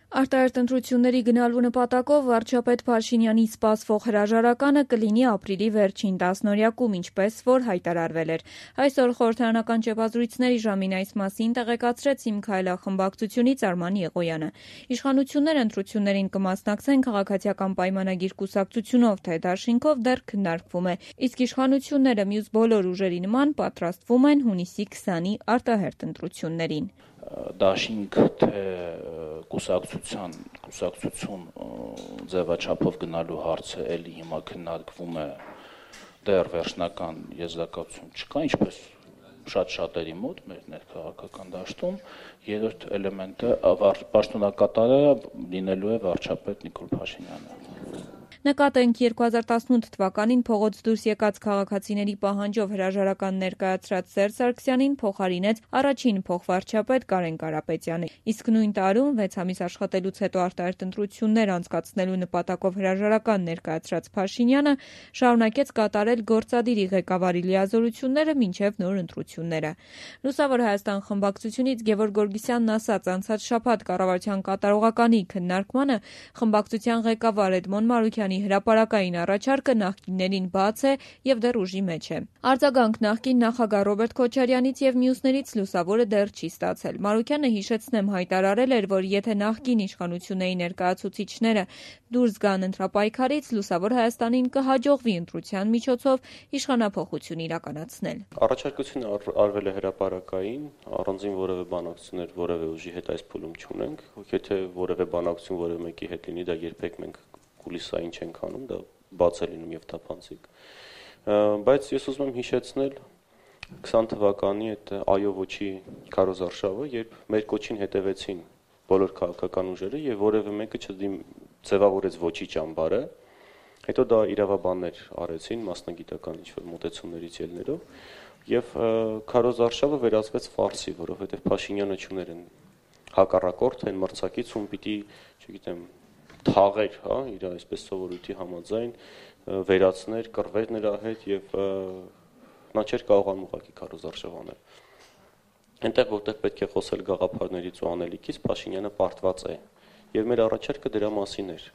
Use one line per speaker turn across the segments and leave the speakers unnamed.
Արտահերթ ընտրությունների գնալու նպատակով վարչապետ Փաշինյանի սպասվող հրաժարականը կլինի ապրիլի վերջին տասնօրյակում, ինչպես որ հայտարարվել էր։ Այսօր խորհրդարանական ճեպազրույցների ժամին այս մասին տեղեկացրեց «Իմ քայլը» խմբակցությունից Արման Եղոյանը։ Իշխանությունները ընտրություններին կմասնակցեն քաղաքացիական պայմանագիր կուսակցությունով, թե դաշինքով դեռ քննարկվում է, իսկ իշխանությունները մյուս բոլոր ուժերի նման պատրաստվում են հունիսի 20-ի արտահերթ ընտրություններին։
Դաշինք թե կուսակցություն ձևաչափով գնալու հարցը էլի հիմա քննարկվում է, դեռ վերջնական եզրակացություն չկա, ինչպես շատ-շատերի մոտ մեր ներքաղաքական դաշտում։ Երրորդ էլեմենտը պաշտոնակատարը լինելու է վարչապետ Նիկոլ Փաշինյանը։
Նկատենք 2018 թվականին փողոց դուրս եկած քաղաքացիների պահանջով հրաժարական ներկայացրած Սերժ Սարգսյանին փոխարինեց առաջին փոխվարչապետ Կարեն Կարապետյանը, իսկ նույն տարում 6 ամիս աշխատելուց հետո արտահերթ ընտրություններ անցկացնելու նպատակով հրաժարական ներկայացրած Փաշինյանը շարունակեց կատարել գործադիրի ղեկավարի լիազորությունները մինչև նոր ընտրությունները։ Լուսավոր Հայաստան խմբակցությունից Գևորգ Գորգիսյանն ասաց, անցած շաբաթ կառավարության կատարողականի քննարկմանը խմբակցության ղեկավար Էդմոն Մարուքյանի հրապարակային առաջարկը նախկիններին բաց է եւ դեռ ուժի մեջ է։ Արձագանք նախկին նախագահ Ռոբերտ Քոչարյանից եւ մյուսներից լուսավորը դեռ չի ստացել։ Մարուքյանը, հիշեցնեմ, հայտարարել էր, որ եթե նախկին իշխանությունների ներկայացուցիչները դուրս գան ընտրապայքարից, Լուսավոր Հայաստանին կհաջողվի ընտրության միջոցով իշխանափոխություն իրականացնել։
Առաջարկությունը արվել է հրապարակային, առանձին որևէ բանակցություններ որևէ ուժի հետ այս փուլում չունենք։ Եթե որևէ բանակցություն որևէ մեկի հետ լինի, դա երբեք մենք կուլիսային չենք անում, դա բաց է լինում եւ թափանցիկ։ Բայց ես ուզում եմ հիշեցնել 20 թվականի այդ այո ոչի քարոզարշավը, երբ մեր կոչին հետևեցին բոլոր քաղաքական ուժերը եւ որևէ մեկը չձևավորեց ոչի ճամբարը, հետո դա իրավաբաններ արեցին մասնագիտական ինչ-որ մոտեցումներից ելնելով եւ քարոզարշավը վերածվեց ֆարսի, որովհետեւ Փաշինյանը չուներ հակառակորդ այն մրցակից, ում պիտի, չգիտեմ, թաղեր, իր այսպես սովորույթի համաձայն վերացներ, կռվեր նրա հետ եւ նա չէր կարողանում ուղղակի քարոզարշավ անել։ Այնտեղ որտեղ պետք է խոսել գաղափարներից ու անելիքից, Փաշինյանը պարտված է եւ մեր առաջարկը դրա մասին էր։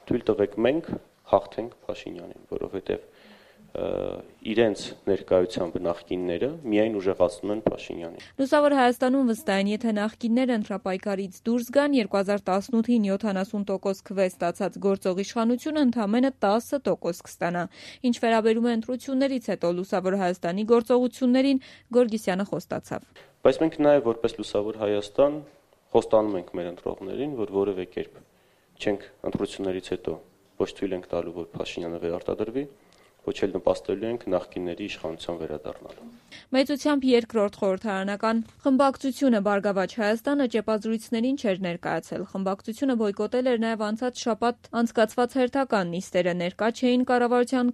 Թույլ տվեք մենք հաղթենք Փաշինյանին, որովհետեւ իրենց ներկայությամբ նախկինները միայն ուժեղացնում են Փաշինյանին։
Լուսավոր Հայաստանում վստահ են, եթե նախկինները ընտրապայքարից դուրս գան, 2018-ին 70% քվե ստացած գործող իշխանությունը ընդամենը 10% կստանա։ Ինչ վերաբերում է ընտրություններից հետո Լուսավոր Հայաստանի գործողություններին, Գորգիսյանը խոստացավ։
Բայց մենք նաև որպես Լուսավոր Հայաստան խոստանում ենք մեր ընտրողներին, որ որևէ կերպ չենք ընտրություններից հետո ոչ թույլ ենք տալու, որ Փաշինյանը վերարտադրվի, ոչ էլ նպաստելու ենք նախկինների իշխանության վերադառնալու։
Մեծությամբ երկրորդ խորհրդարանական խմբակցությունը Բարգավաճ Հայաստանը ճեպազրույցներին չէր ներկայացել։ Խմբակցությունը բոյկոտել էր նաև անցած շաբաթ անցկացված հերթական նիստերը, ներկա չէին կառավարության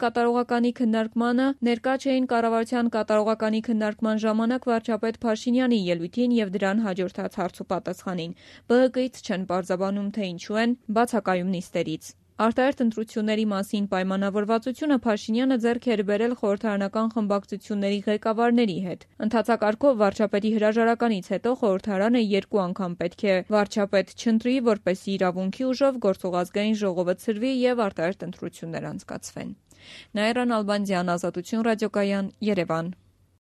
կատարողականի քննարկման ժամանակ վարչապետ Փաշինյանի ելույթին եւ դրան հաջորդած հարցուպատասխանին։ ԲՀԿ-ից չեն պարզաբանում, թե ինչու են բացակայում նիստերից։ Արտահերթ ընտրությունների մասին պայմանավորվածությունը Փաշինյանը ձեռք էր բերել խորհրդարանական խմբակցությունների ղեկավարների հետ։ Ընդհանցակարգով վարչապետի հրաժարականից հետո խորհրդարանը 2 անգամ պետք է վարչապետ չընտրի, որպեսզի իրավունքի ուժով գործողազգային ժողովը ցրվի եւ արտահերթ ընտրություններ անցկացվեն։ Նաիրա Նալբանդյան, Ազատություն ռադիոկայան, Երևան։